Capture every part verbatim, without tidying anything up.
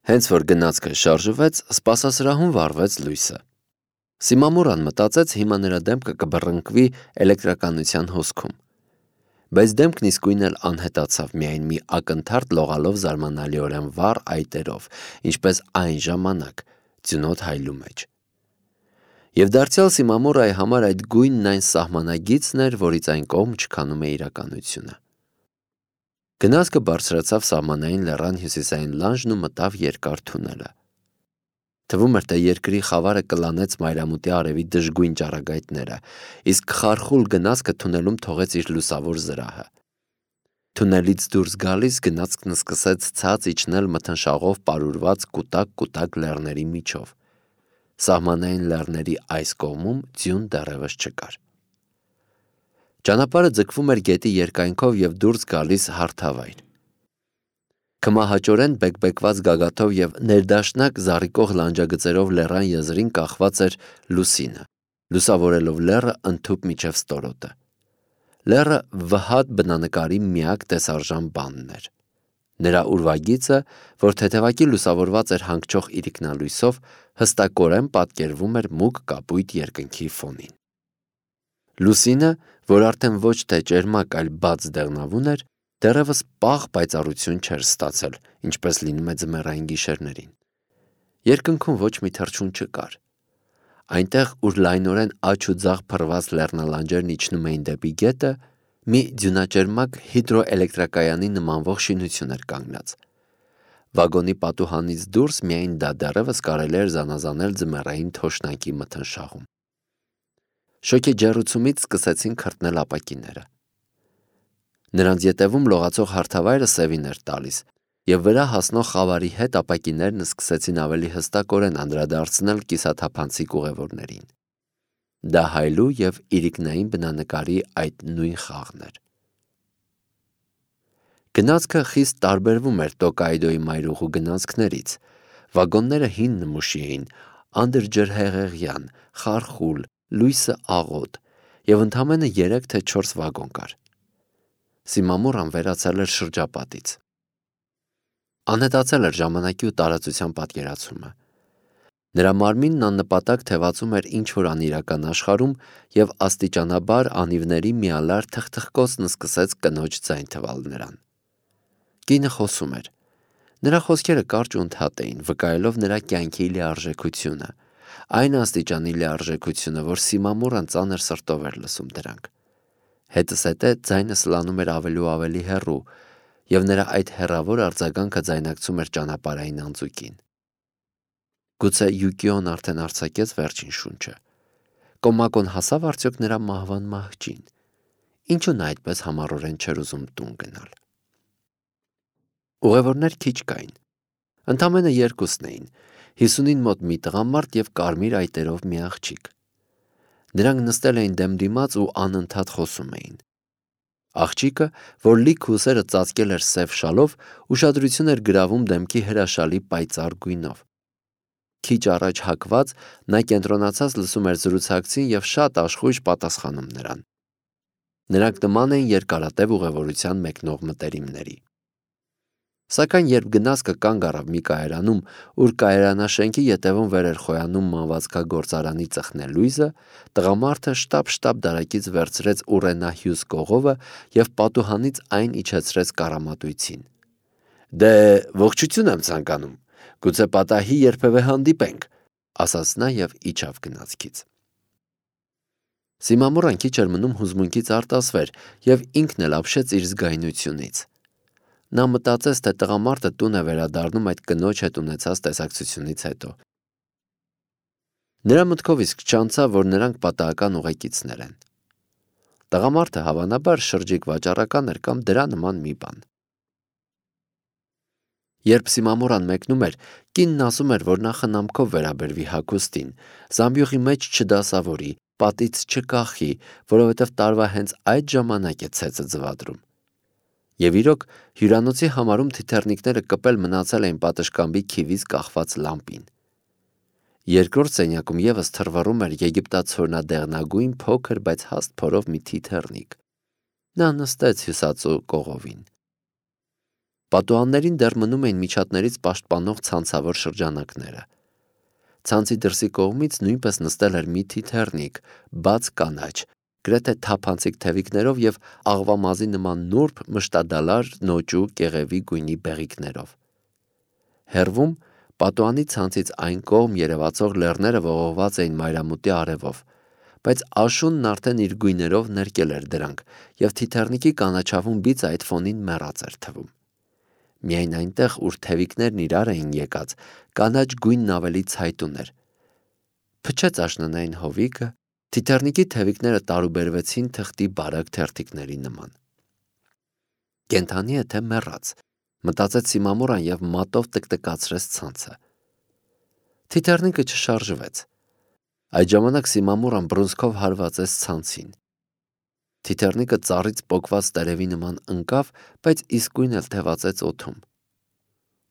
Հենց որ գնացքը շարժվեց, սպասասրահում վառվեց լույսը։ Սիմամուրան մտածեց հիմա նրա դեմքը կբռնկվի էլեկտրականության հոսքում։ Բայց դեմքն իսկույն էլ անհետացավ միայն մի ակնթարթ լողալով զարմանալիորեն վառ այտերով, ինչպես այն ժամանակ ձյունոտ հայլու մեջ։ Եվ դարձյալ Սիմամուրայի համար այդ գույնն այն սահմանագիծն էր, որից այն կողմ չքանում է իրականությունը։ Գնացքը բարձրացավ սահմանային լեռան հյուսիսային լանջն ու մտավ երկար թունելը։ Թվում էր, թե երկրի խավարը կլանեց մայրամուտի արևի դժգույն ճառագայթները, իսկ խարխուլ գնացքը թունելում թողեց իր լուսավոր զրահը։ Թունելից դուրս գալիս գնացքն սկսեց ցած իջնել մթնշաղով պարուրված կուտակ-կուտակ լեռների միջով։ Սահմանային լեռների այս կողմում ձյուն դեռևս չկար։ Ճանապարհը ձգվում էր գետի երկայնքով և դուրս գալիս հարթավայր։ Քմահաճորեն բեկբեկված գագաթով և ներդաշնակ զառիկող լանջագծերով լեռան եզրին կախված էր լուսինը, լուսավորելով լեռը ընդհուպ մինչև ստորոտը։ Լեռը վհատ բնանկարի միակ տեսարժան բանն էր։ Նրա ուրվագիծը, որ թեթևակի լուսավորված էր հանգչող իրիկնալույսով, հստակորեն պատկերվում էր մուգ կապույտ երկնքի ֆոնին։ Լուսինը, որ արդեն ոչ թե ճերմակ, այլ բաց դեղնավուն էր, դեռևս պաղ պայծառություն չէր ստացել, ինչպես լինում է ձմեռային գիշերներին։ Երկնքում ոչ մի թռչուն չկար։ Այնտեղ, ուր լայնորեն աջ ու ձախ փռված լեռնալանջերն իջնում էին դեպի գետը, մի ձյունաճերմակ հիդրոէլեկտրակայանի նմանվող շինություն էր կանգնած։ Վագոնի պատուհանից դուրս միայն դա դեռևս կարելի էր զանազանել ձմեռային թոշնակի մթնշաղում։ Շոգի ջեռուցումից սկսեցին քրտնել ապակիները։ Նրանց ետևում լողացող հարթավայրը սևին էր տալիս, և վրա հասնող խավարի հետ ապակիներն սկսեցին ավելի հստակորեն անդրադարձնել կիսաթափանցիկ ուղևորներին։ Դա հայլու և իրիկնային բնանկարի այդ նույն խաղն էր։ Գնացքը խիստ տարբերվում էր Տոկայդոյի մայրուղու գնացքներից։ Վագոնները հին նմուշի էին, անդրջրհեղեղյան, խարխուլ, լույսը աղոտ, և ընդամենը երեք թե չորս վագոն կար։ Սիմամուրան վերացել էր շրջապատից։ Անհետացել էր ժամանակի ու տարածության պատկերացումը։ Նրա մարմինն աննպատակ թևածում էր ինչ-որ անիրական աշխարհում, և աստիճանաբար անիվների միալար թխթխկոցն սկսեց կնոջ ձայն թվալ նրան։ Կինը խոսում էր։ Նրա խոսքերը կարճ ու ընդհատ էին, վկայելով նրա կյանքի լիարժեքությունը, այն աստիճանի լիարժեքությունը, որ Սիմամուրան ծանր սրտով էր լսում դրանք։ Հետզհետե ձայնը սլանում էր ավելի ու ավելի հեռու, և նրա այդ հեռավոր արձագանքը ձայնարկում էր ճանապարհային անձուկին։ Գուցե Յուկիոն արդեն արձակեց վերջին շունչը։ Կոմակոն հասավ արդյոք նրա մահվան մահճին։ Ինչու նա այդպես համառորեն չէր ուզում տուն գնալ։ Ուղևորներ քիչ կային։ Ընդամենը երկուսն էին՝ հիսունին մոտ մի տղամարդ և կարմիր այտերով մի աղջիկ։ Նրանք նստել էին դեմ դիմաց ու անընդհատ խոսում էին։ Աղջիկը, որ լիք ուսերը ծածկել էր սև շալով, ուշադրություն էր գրավում դեմքի հրաշալի պայծառ գույնով։ Քիչ առաջ հագված, նա կենտրոնացած լսում էր զրուցակցին և շատ աշխույժ պատասխանում նրան։ Նրանք նման էին երկարատև ուղևորության մեկնող մտերիմների։ Սակայն երբ գնացքը կանգ առավ մի կայարանում, ուր կայարանաշենքի ետևում վեր էր խոյանում մանվածքագործարանի ծխնելույզը, տղամարդը շտապ-շտապ դարակից վերցրեց ուռենահյուս կողովը և պատուհանից այն իջեցրեց կառամատույցին։ «Դե, ողջություն եմ ցանկանում, գուցե պատահի երբևէ հանդիպենք», ասաց նա և իջավ գնացքից։ Սիմամուրան քիչ էր մնում հուզմունքից արտասվեր և ինքն էլ ապշեց իր զգայունությունից։ Նա մտածեց, թե տղամարդը տուն է վերադառնում այդ կնոջ հետ ունեցած տեսակցությունից հետո։ Նրա մտքով իսկ չանցավ, որ նրանք պատահական ուղեկիցներ են։ Տղամարդը հավանաբար շրջիկ վաճառական էր կամ դրա նման մի բան։ Երբ Սիմամուրան մեկնում էր, կինն ասում էր, որ նա խնամքով վերաբերվի հագուստին, զամբյուղի մեջ չդասավորի, պատից չկախի, որովհետև տարվա հենց այդ ժամանակ է ցեցը ձվադրում։ Եվ իրոք, հյուրանոցի համարում թիթեռնիկները կպել մնացել էին պատշգամբի քիվից կախված լամպին։ Երկրորդ սենյակում ևս թռվռում էր եգիպտացորնադեղնագույն փոքր, բայց հաստ փորով մի թիթեռնիկ։ Նա նստեց հյուսածու կողովին։ Պատուհաններին դեռ մնում էին միջատներից պաշտպանող ցանցավոր շրջանակները։ Ցանցի դրսի կողմից նույնպես նստել էր մի թիթեռնիկ, բաց կանաչ, գրեթե թափանցիկ թևիկներով և աղվամազի նման նուրբ, մշտադալար, նոճու, կեղևի գույնի բեղիկներով։ Հեռվում պատուհանի ցանցից այն կողմ երևացող լեռները ողողված էին մայրամուտի արևով, բայց աշունն արդեն իր գույներով ներկել էր դրանք, և թիթեռնիկի կանաչավուն բիծը այդ ֆոնին մեռած էր թվում։ Միայն այնտեղ, ուր թևիկներն իրար էին եկած, կանաչ գույնն ավելի ցայտուն էր։ Փչեց աշնանային հովիկը, թիթեռնիկի թևիկները տարուբերվեցին թղթի բարակ թերթիկների նման։ Կենդանի է թե մեռած, մտածեց Սիմամուրան և մատով տկտկացրեց ցանցը։ Թիթեռնիկը չշարժվեց։ Այդ ժամանակ Սիմամուրան բռունցքով հարվածեց ցանցին։ Թիթեռնիկը ծառից պոկված տերևի նման ընկավ, բայց իսկույն էլ թևածեց օդում։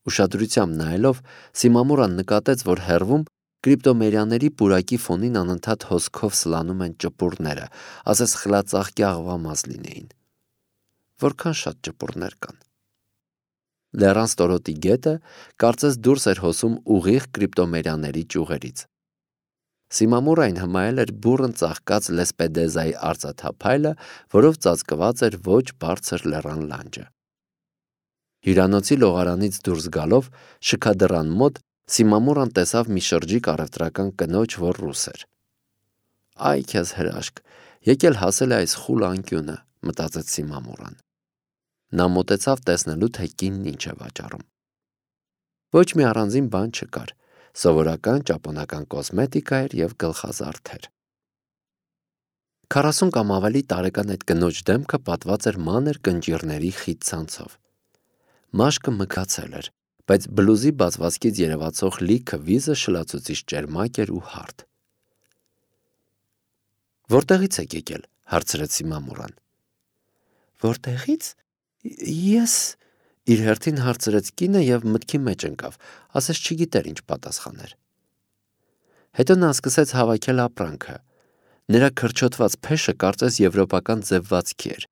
Ուշադրությամբ նայելով, Սիմամուրան նկատեց, որ հեռվում կրիպտոմերյաների պուրակի ֆոնին անընդհատ հոսքով սլանում են ճպուռները, ասես խլածաղկի աղվամազ լինեին։ Որքան շատ ճպուռներ կան։ Լեռան ստորոտի գետը կարծես դուրս էր հոսում ուղիղ կրիպտոմերյաների ճյուղերից։ Սիմամուրային հմայել էր բուռն ծաղկած լեսպեդեզայի արծաթափայլը, որով ծածկված էր ոչ բարձր լեռան լանջը։ Հյուրանոցի լողարանից դուրս գալով, շքադռան մոտ Սիմամուրան տեսավ մի շրջիկ առևտրական կնոջ, որ ռուս էր։ Այ քեզ հրաշք, եկել հասել է այս խուլ անկյունը, մտածեց Սիմամուրան։ Նա մոտեցավ տեսնելու, թե կինն ինչ է վաճառում։ Ոչ մի առանձին բան չկար, սովորական ճապոնական կոսմետիկա էր և գլխազարդեր։ Քառասուն կամ ավելի տարեկան այդ կնոջ դեմքը պատված էր մանր կնճիռների խիտ ցանցով։ Մաշկը մգացել էր, բայց բլուզի բացվածքից երևացող լիքը վիզը շլացուցիչ ճերմակ էր ու հարթ։ Որտեղից եք եկել, հարցրեց Սիմամուրան։ Որտեղից։ Ես իր հերթին հարցրեց կինը և մտքի մեջ ընկավ, ասես չգիտեր ինչ պատասխաներ։ Հետո նա սկսեց հավաքել ապրանքը։ Նրա քրչոտված փեշը կարծես եվրոպական ձևվածքի էր։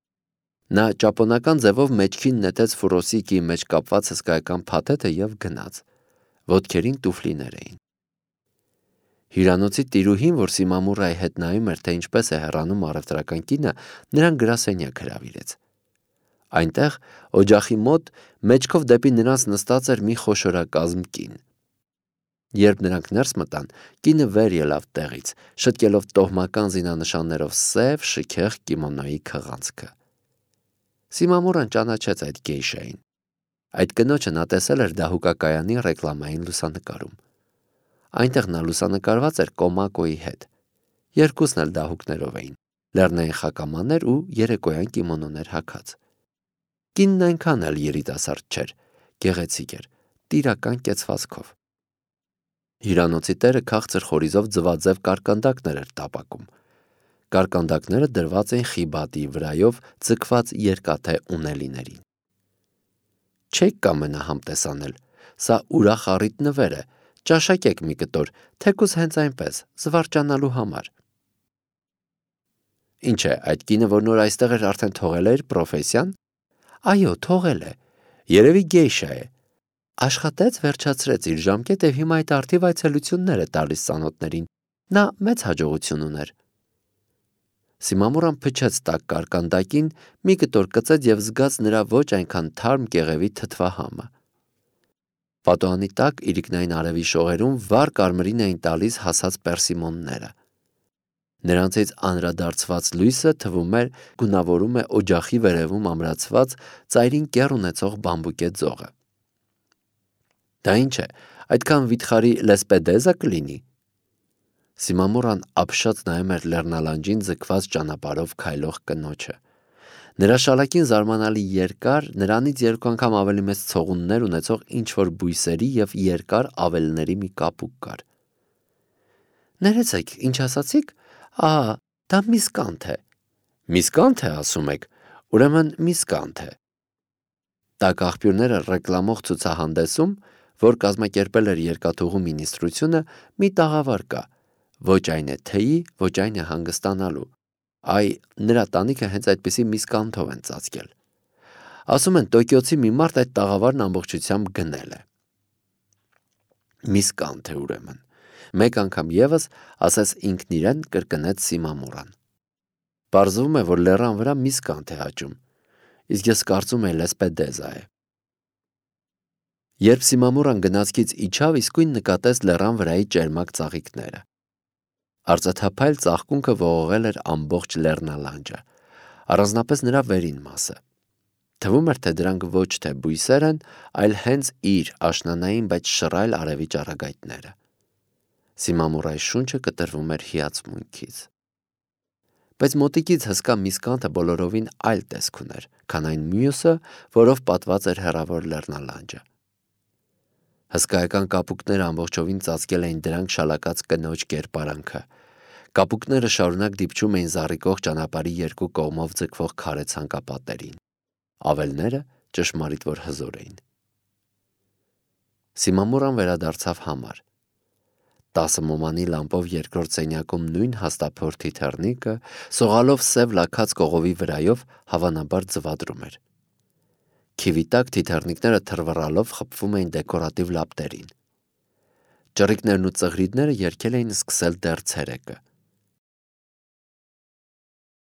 Նա ճապոնական ձևով մեջքին նետեց ֆուրոսիկի մեջ կապված հսկայական փաթեթը և գնաց։ Ոտքերին տուֆլիներ էին։ Հյուրանոցի տիրուհին, որ Սիմամուրայի հետ նայում էր, թե ինչպես է հեռանում առևտրական կինը, նրան գրասենյակ հրավիրեց։ Այնտեղ, օջախի մոտ, մեջքով դեպի նրանց նստած էր մի խոշորակազմ կին։ Երբ նրանք ներս մտան, կինը վեր ելավ տեղից, շտկելով տոհմական զինանշաններով սև, շքեղ կիմոնոյի քղանցքը։ Սիմամուրան ճանաչեց այդ գեյշային։ Այդ կնոջը նա տեսել էր դահուկակայանի ռեկլամային լուսանկարում։ Այնտեղ նա լուսանկարված էր Կոմակոյի հետ։ Երկուսն էլ դահուկներով էին, լեռնային խակամաներ ու երեկոյան կիմոնոներ հագած։ Կինն այնքան էլ երիտասարդ չէր, գեղեցիկ էր, տիրական կեցվածքով։ Հյուրանոցի տերը քաղցր խորիզով ձվաձև կարկանդակներ էր տապակում։ Կարկանդակները դրված էին խիբատի վրայով ձգված երկաթե ունելիներին։ Չեք կամենա համտեսանել, սա ուրախ առիթ նվեր է, ճաշակեք մի կտոր, թեկուզ հենց այնպես, զվարճանալու համար։ Ինչ է, այդ կինը, որ նոր այստեղ էր, արդեն թողել է իր պրոֆեսիան։ Այո, թողել է, երևի գեյշա է։ Աշխատեց, վերջացրեց իր ժամկետը և հիմա այդ արդիվ այցելություններ է տալիս ծանոթներին։ Նա մեծ հաջողություն ուներ։ Սիմամուրան փչեց տաք կարկանդակին, մի կտոր կծեց և զգաց նրա ոչ այնքան թարմ կեղևի թթվահամը։ Պատուհանի տակ իրիկնային արևի շողերում վառ կարմրին էին տալիս հասած պերսիմոնները։ Նրանցից անդրադարձված լույսը թվում էր գունավորում է օջախի վերևում ամրացված ծայրին կեռ ունեցող բամբուկե ձողը։ Դա ինչ է, այդքան վիթխարի լեսպեդեզա կլինի։ Սիմամուրան ապշած նայում էր լեռնալանջին ձգված ճանապարհով քայլող կնոջը։ Նրա շալակին զարմանալի երկար, նրանից երկու անգամ ավելի մեծ ցողուններ ունեցող ինչ-որ բույսերի և երկար ավելների մի կապուկ կար։ Ներեցեք, ինչ ասացիք։ Ահա, դա միսկանթ է։ Միսկանթ է, ասում եք, ուրեմն միսկանթ է։ Տաք աղբյուրները ռեկլամող ցուցահանդեսում, որ կազմակերպել էր երկաթուղու մինիստրությունը, մի տաղավար կա։ Ոչ այն է թեյի, ոչ այն է հանգստանալու։ Այ նրա տանիքը հենց այդպիսի միսկանթով են ծածկել։ Ասում են Տոկիոցի մի մարդ այդ տաղավարն ամբողջությամբ գնել է։ Միսկանթ է ուրեմն։ Մեկ անգամ եւս ասես ինքն իրեն կրկնեց Սիմամուրան։ Պարզվում է, որ լեռան վրա միսկանթ է աճում, իսկ ես կարծում եմ լեսպեդեզա է։ Երբ Սիմամուրան գնացքից իջավ, իսկույն նկատեց լեռան վրայի ճերմակ ծաղիկները։ Արծաթափայլ ծաղկունքը ողողել էր ամբողջ լեռնալանջը, առանձնապես նրա վերին մասը։ Թվում էր, թե դրանք ոչ թե բույսեր են, այլ հենց իր աշնանային, բայց շռայլ արևի ճառագայթները։ Սիմամուրայի շունչը կտրվում էր հիացմունքից։ Բայց մոտիկից հսկա միսկանթը բոլորովին այլ տեսք ուներ, քան այն մյուսը, որով պատված էր հեռավոր լեռնալանջը։ Հսկայական կապուկները ամբողջովին ծածկել էին դրանք շալակած կնոջ կերպարանքը։ Կապուկները շարունակ դիպչում էին զառիկող ճանապարհի երկու կողմով ձգվող քարե ցանկապատերին։ Ավելները ճշմարիտ որ հզոր էին։ Սիմամուրան վերադարձավ համար։ Տասը մոմանի լամպով երկրորդ սենյակում նույն հաստափորդի թեռնիկը, սողալով սև լաքած կողովի վրայով, հավանաբար ձվադրում էր։ Քիվի տակ թիթեռնիկները թռվռալով խփվում էին դեկորատիվ լապտերին։ Ճռիկներն ու ծղրիդները երգել էին սկսել դեռ ցերեկը։